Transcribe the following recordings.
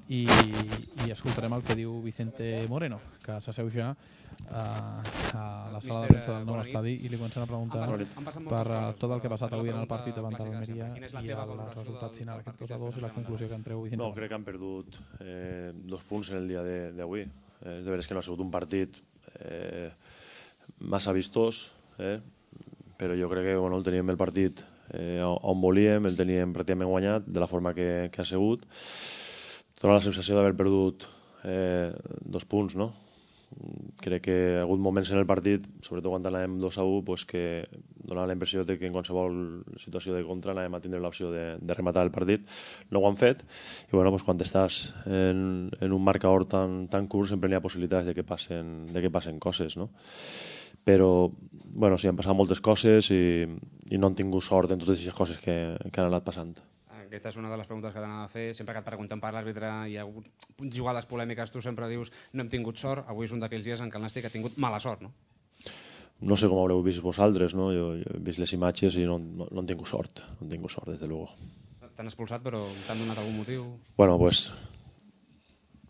i escoltarem el que diu Vicente Moreno, que s'asseu ja a la sala de premsa del nou estadi i li comencen a preguntar per tot el que ha passat avui en el partit davant de l'Almeria i el resultat final, aquest 2-2 i la conclusió que en treu Vicente Moreno. Crec que han perdut 2 punts en el dia d'avui. És de veres que no ha sigut un partit massa vistós, però jo crec que el teníem el partit on volíem, el teníem pràcticament guanyat de la forma que ha sigut. Dóna la sensació d'haver perdut 2 punts, no? Crec que hi ha hagut moments en el partit, sobretot quan anàvem 2-1, que donava la impressió que en qualsevol situació de contra anàvem a tindre l'opció de rematar el partit. No ho han fet i quan estàs en un marcador tan curt sempre hi ha possibilitats de que passen coses, no? Però sí, han passat moltes coses i no han tingut sort en totes aquestes coses que han anat passant. Aquesta és una de les preguntes que t'anava a fer. Sempre que et pregunten per l'àrbitre i hi ha hagut jugades polèmiques, tu sempre dius no hem tingut sort. Avui és un d'aquells dies en què el Nàstic ha tingut mala sort, no? No sé com haureu vist vosaltres, no? Jo he vist les imatges i no han tingut sort. No han tingut sort, des de luego. T'han expulsat, però t'han donat algun motiu? Bueno, el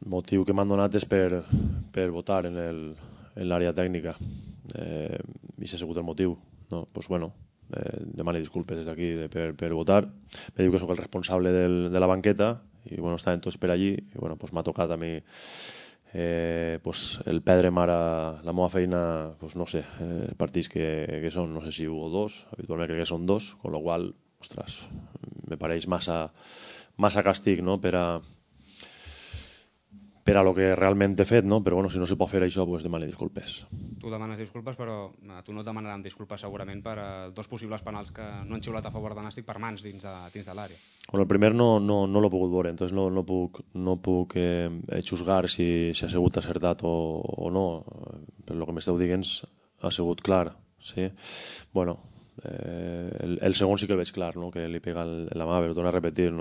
motiu que m'han donat és per votar en l'àrea tècnica. I s'ha sigut el motiu. Demano disculpes des d'aquí per votar. Me diu que sóc el responsable de la banqueta i estaven tots per allí i m'ha tocat a mi el perdre'm ara la meva feina, no sé, els partits que són, no sé si 1 o 2, habitualment crec que són 2, amb la qual cosa, ostres, me pareix massa càstig, no?, per a lo que realment he fet, no? Però si no se pot fer això, demano disculpes. Tu demanes disculpes, però a tu no et demanaran disculpes segurament per 2 possibles penals que no han xiulat a favor de Nàstic per mans dins de l'àrea. El primer no l'he pogut veure, entonces no puc juzgar si ha sigut acertat o no. Per el que m'esteu dient ha sigut clar. Sí? El segon sí que el veig clar, no? Que li pega en la mà, però torno a repetir,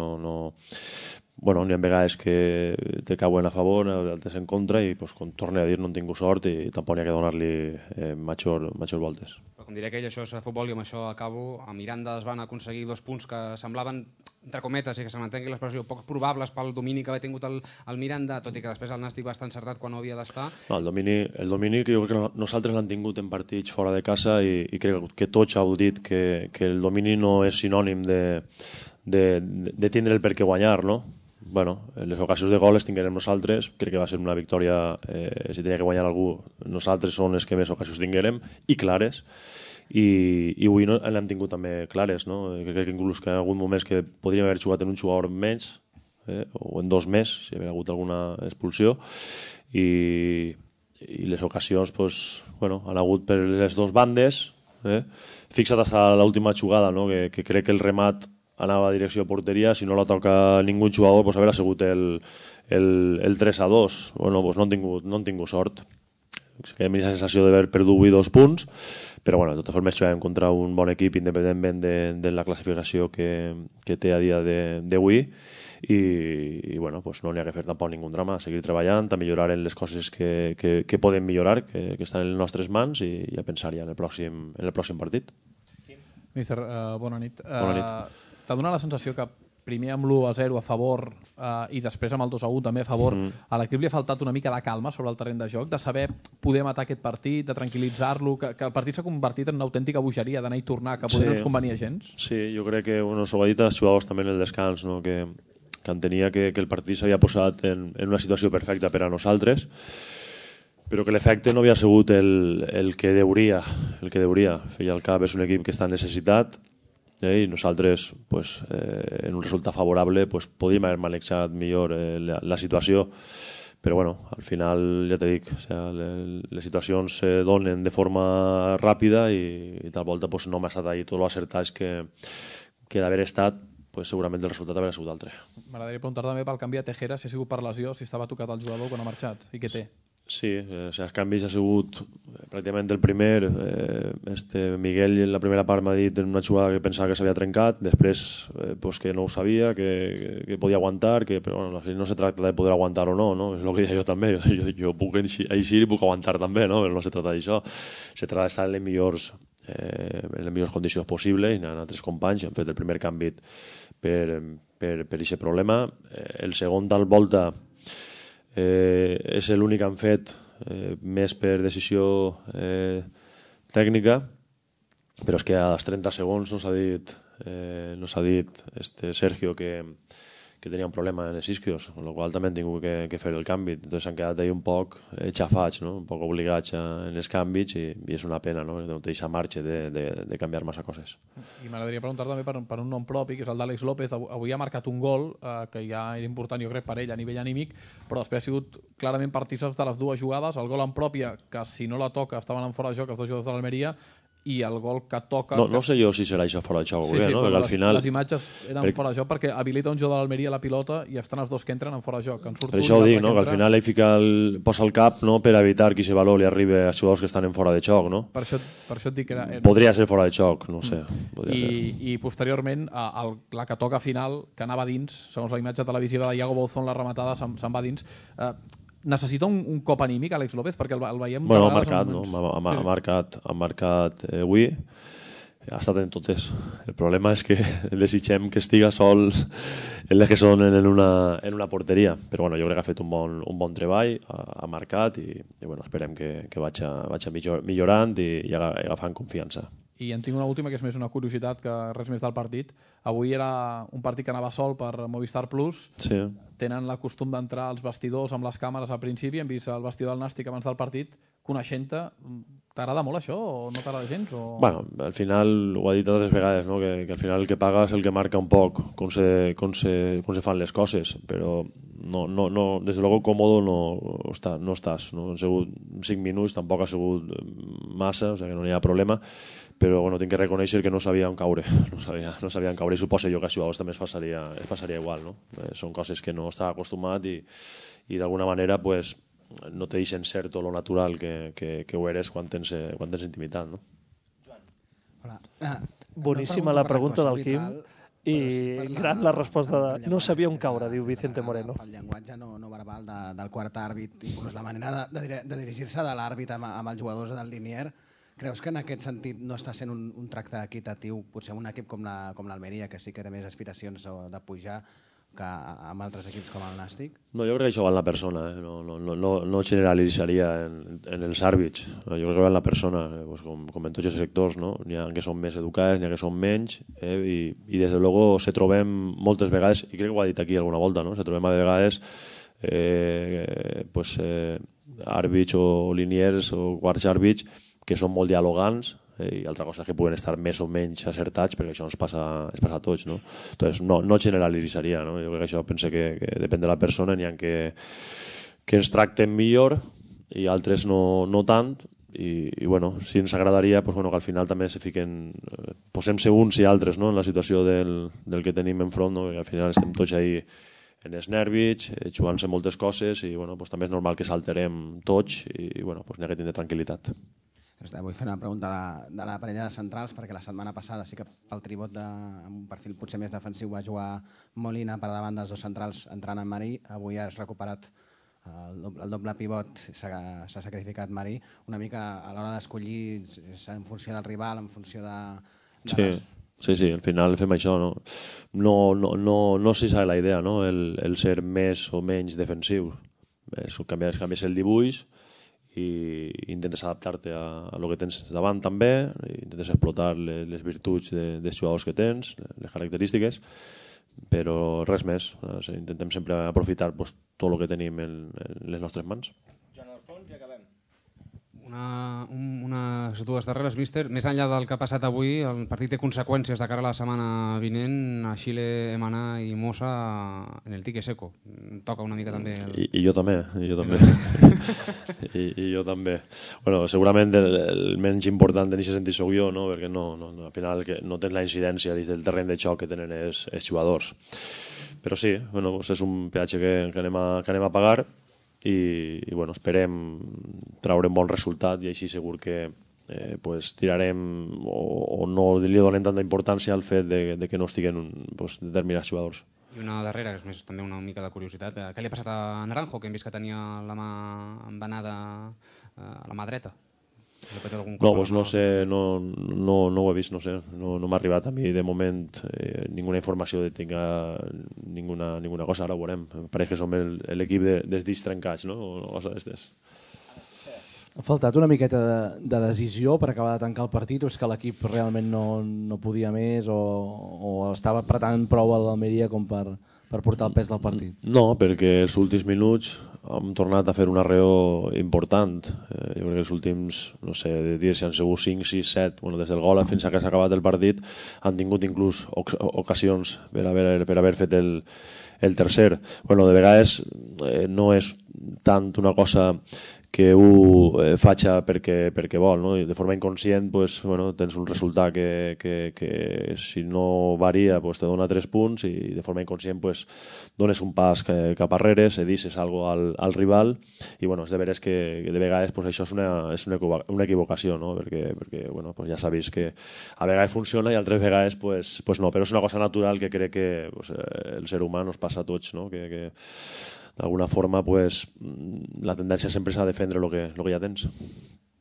n'hi ha vegades que te cauen a favor, altres en contra i com torno a dir no han tingut sort i tampoc n'hi ha que donar-li major voltes. Però com diré que això és futbol i amb això acabo, a Miranda es van aconseguir 2 punts que semblaven, entre cometes, i que se m'entengui l'expressió, poc probables pel domini que havia tingut el Miranda, tot i que després el Nàstic va estar encertat quan no havia d'estar. El domini que jo crec que nosaltres l'han tingut en partits fora de casa i crec que tots heu dit que el domini no és sinònim de tindre el per què guanyar, no? Les ocasions de gol les tinguérem nosaltres, crec que va ser una victòria, si tenia que guanyar algú, nosaltres són els que més ocasions tinguérem, i clares, i avui l'hem tingut també clares, no? Crec que inclús que en alguns moments que podríem haver jugat en un jugador menys, o en 2 més, si hi havia hagut alguna expulsió, i les ocasions han hagut per les 2 bandes, fixa't fins a l'última jugada, que crec que el remat anava a direcció de porteria, si no la toca ningú jugador, haver sigut el 3-2. No han tingut sort. Que hi ha la sensació d'haver perdut 2 punts, però de totes formes jugàvem contra un bon equip independentment de la classificació que té a dia d'avui i no n'hi ha que fer tampoc ningú drama, seguir treballant, a millorar en les coses que podem millorar, que estan en les nostres mans i a pensar ja en el pròxim partit. Míster, bona nit. Bona nit. T'ha donat la sensació que primer amb l'1-0 a favor i després amb el 2-1 també a favor, a l'equip li ha faltat una mica de calma sobre el terreny de joc, de saber poder matar aquest partit, de tranquil·litzar-lo, que el partit s'ha convertit en una autèntica bogeria d'anar i tornar, que poder no ens convenia gens? Sí, jo crec que s'ho ha dit als jugadors també en el descans, que entenia que el partit s'havia posat en una situació perfecta per a nosaltres, però que l'efecte no havia sigut el que deuria. Feia el cap, és un equip que està necessitat, i nosaltres en un resultat favorable podíem haver manejat millor la situació, però al final ja t'he dit, les situacions se donen de forma ràpida i tal volta no m'ha estat ahí tot l'acertats que d'haver estat segurament el resultat haurà sigut altre. M'agradaria preguntar també pel canvi a Tejera, si ha sigut per lesió, si estava tocat el jugador quan ha marxat i què té. Sí, els canvis ha sigut pràcticament el primer. Miguel en la primera part m'ha dit en una jugada que pensava que s'havia trencat, després que no ho sabia, que podia aguantar, però no se tracta de poder aguantar o no, és el que deia jo també, jo puc eixir i puc aguantar també, però no se tracta d'això, se tracta d'estar en les millors condicions possibles, i altres companys han fet el primer canvi per aquest problema. El segon tal volta És l'únic que han fet més per decisió tècnica, però és que als 30 segons nos ha dit Sergio que tenia un problema en els isquios, amb la qual també han tingut que fer el canvi. Entonces s'han quedat ahí un poc xafats, no? Un poc obligats en els canvis, i és una pena, no? No té aquesta marxa de canviar massa coses. I m'agradaria preguntar també per un nom propi, que és el d'Àlex López. Avui ha marcat un gol que ja era important, jo crec, per ell a nivell anímic, però després ha sigut clarament partícips de les dues jugades. El gol en pròpia, que si no la toca estaven en fora de joc els dos jugadors de l'Almeria, i el gol que toca... No sé jo si serà això fora de joc o bé, no? Perquè al final... Les imatges eren fora de joc perquè habilita un jugador de l'Almeria la pilota i estan els dos que entren en fora de joc. Per això ho dic, no? Que al final ell posa el cap, no? Per evitar que aquest valor li arribi als jugadors que estan en fora de joc, no? Per això et dic que era... Podria ser fora de joc, no sé. I posteriorment, la que toca final, que anava dins, segons la imatge televisiva de Iago Bouzón, la rematada se'n va dins. Necessita un cop anímic, Àlex López, perquè el veiem... Bueno, ha marcat, no? Ha marcat avui, ha estat en totes. El problema és que desitgem que estiga sol en les que són en una porteria, però bueno, jo crec que ha fet un bon treball, ha marcat, i bueno, esperem que vagi millorant i agafant confiança. I en tinc una última, que és més una curiositat que res més del partit. Avui era un partit que anava sol per Movistar Plus. Sí. Tenen la costum d'entrar als vestidors amb les càmeres al principi. Hem vist el vestidor del Nàstic abans del partit. Coneixent-te, t'agrada molt això o no t'agrada gens? O... Bueno, al final, ho ha dit altres vegades, no? Que al final el que paga és el que marca un poc com se fan les coses, però no, des de luego còmodo no estàs. No? Han sigut 5 minuts, tampoc ha sigut massa, o sigui que no hi ha problema, però bueno, tinc que reconèixer que no sabia on caure, no sabia on caure, i suposo jo que a jugadors també es passaria igual, no? Són coses que no està acostumat i d'alguna manera pues, no te deixen ser tot lo natural que ho eres quan tens intimitat, no? Hola. Boníssima la pregunta del Quim i gran la resposta de no sabia on caure, diu Vicente Moreno. El llenguatge no verbal del quart àrbit, inclús la manera de dirigir-se de l'àrbit amb els jugadors del Linier, creus que en aquest sentit no està sent un tracte equitatiu, potser un equip com l'Almeria, que sí que té més aspiracions de pujar que amb altres equips com el Nàstic? No, jo crec que això va en la persona, no generalitzaria en els àrbits. Jo crec que va en la persona, com en tots els sectors, no? N'hi ha que són més educats, n'hi ha que són menys, i des de luego se trobem moltes vegades, i crec que ho ha dit aquí alguna volta, no? Se trobem a vegades àrbits o liniers o quarts àrbits que són molt dialogants, i altra cosa és que puguen estar més o menys acertats, perquè això ens passa a tots, no? Entonces, no generalitzaria, no? Jo crec que això penso que depèn de la persona, n'hi ha que ens tracten millor i altres no tant, i bueno, si ens agradaria pues, bueno, que al final també se fiquen, posem-se uns i altres, no? En la situació del que tenim enfront, no? Que al final estem tots ahí en els nervis, jugant-se moltes coses, i bueno, pues, també és normal que s'alterem tots, i bueno, pues, n'hi ha que tindre tranquil·litat. Vull fer una pregunta de la parella de centrals, perquè la setmana passada sí que pel tribot amb un perfil potser més defensiu va jugar Molina per davant dels dos centrals entrant en Marí. Avui has recuperat el doble pivot, s'ha sacrificat Marí. Una mica a l'hora d'escollir en funció del rival, en funció de Sí, al final fem això, no? No sé si és la idea, no? El ser més o menys defensiu. Canvies el dibuix i intentes adaptar-te a lo que tens davant també, intentes explotar les virtuts dels jugadors que tens, les característiques, però res més. Intentem sempre aprofitar tot el que tenim en les nostres mans. Joan Alfons, i acabem. Unes dues darreres, míster. Més enllà del que ha passat avui, el partit té conseqüències de cara a la setmana vinent. A Xile, Emaná i Mosa en el tique seco. Toca una mica també... I jo també. I jo també. Bueno, segurament el menys important en aquest sentit soc jo, no? Perquè al final no tens la incidència del terreny de xoc que tenen els jugadors. Però sí, bueno, és un peatge que anem a pagar, i bueno, esperem traure un bon resultat, i així segur que tirarem o no li donem tanta importància al fet de que no estiguen determinats jugadors. I una darrera, que és més també una mica de curiositat. Què li ha passat a Naranjo, que hem vist que tenia la mà embenada a la mà dreta? No, doncs no sé, no ho he vist, no sé, no m'ha arribat a mi de moment ninguna informació de tinga ninguna cosa, ara ho veurem. Pareix que som l'equip dels dits trencats, no? O cosa d'estes. Ha faltat una miqueta de decisió per acabar de tancar el partit o és que l'equip realment no podia més o estava apretant prou a l'Almeria com per portar el pes del partit? No, perquè els últims minuts hem tornat a fer un arreo important. Jo crec que els últims, no sé, de dies si han sigut 5, 6, 7, bueno, des del gol fins a que s'ha acabat el partit, han tingut inclús ocasions per haver fet el tercer. Bueno, de vegades no és tant una cosa que ho faci perquè vol, no? De forma inconscient tens un resultat que si no varia te dona 3 punts i de forma inconscient dones un pas cap arrere, cedisses alguna cosa al rival i és de veres que de vegades això és una equivocació, no? perquè ja s'ha vist que a vegades funciona i altres vegades no, però és una cosa natural que crec que el ser humà nos passa a tots, no? que d'alguna forma la tendència sempre és a defendre el que ja tens.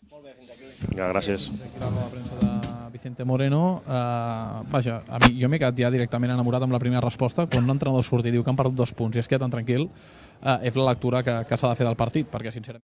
Molt bé, fins aquí. Vinga, gràcies. Aquí la premsa de Vicente Moreno. Vaja, jo m'he quedat ja directament enamorat amb la primera resposta. Quan un entrenador surt i diu que han perdut 2 punts i es queda tan tranquil, és la lectura que s'ha de fer del partit, perquè sincerament